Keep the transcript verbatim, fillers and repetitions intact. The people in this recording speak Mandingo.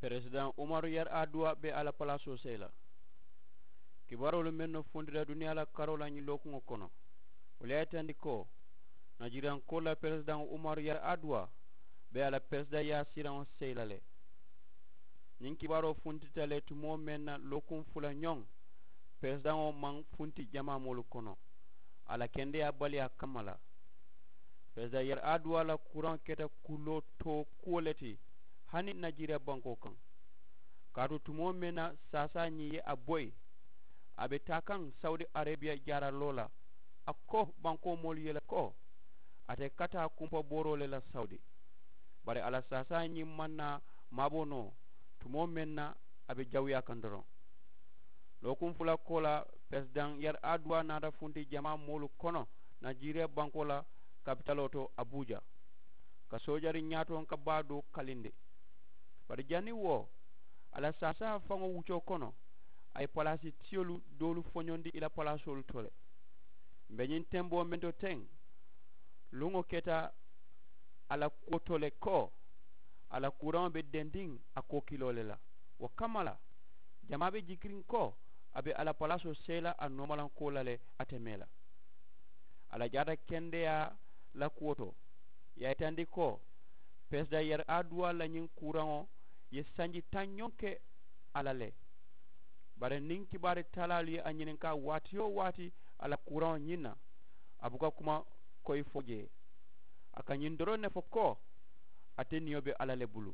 Peresidaŋ umaru yari aduwa be a la palaasoo seyi la. Kibaaroolu mennu funtita duniyaa la karoo la ñiŋ lookuŋo kono, wolu ye a yitandi ko najiriyankoolu la peresidaŋo umaru yari aduwa be a la peresidaŋ yaasiraŋo seyi la le. Ñiŋ kibaaroo funtita le tumoo meŋ na lookuŋ fula ñoŋ, peresidaŋo maŋ funti jamaa moolu kono a la kendeyaa baliyaa kamma la. Peresidaŋ yari aduwa la kuraŋo keta kuloo too kuwo le ti hani najiriya bankoo kaŋ. Kaatu tumoo meŋ na saasaa ñiŋ ye a boyi, a be taa kaŋ sawudi areebiya jaaraloo la, a ko bankoo moolu ye le ko a te kataa kumpabooroo le la sawudi. Bari a la saasaa ñiŋ maŋ naa maaboo noo tumoo meŋ na a be jawuyaa kaŋ doroŋ. Lookuŋ fula koo la, peresidaŋ yari aduwa naata funti jamaa moolu kono najiriya bankoo la kapitaloo to abuja, ka soojari ñaatoŋ ka baa doo kalindi. Bari janniŋ wo a la saasaa faŋo wuccoo kono, a ye palaasi tiyolu doolu foñondi i la palaasoolu to le. M̀ be ñiŋ temboo meŋ to teŋ, luŋo keta a la kuwo to le ko a la kuuraŋo be dendiŋ a kookiloo le la. Wo kamma la, jamaa be jikiriŋ ko a be a la palaasoo seyi la a noomalaŋ kuwo la le, a te mee la a la jaata kendeyaa la kuwo to. Ì ye a yitandi ko peresidaŋ yari aduwa la ñiŋ kuuraŋo ye sanji taŋ ñoŋ ke a la le. Bari niŋ kibaari talaalu ye a ñininkaa waati-wo-waati a la kuuraŋo ñiŋ na, a buka kuma koyi fo jee. A ka ñiŋ doroŋ ne fo ko ate niyo be alla le bulu.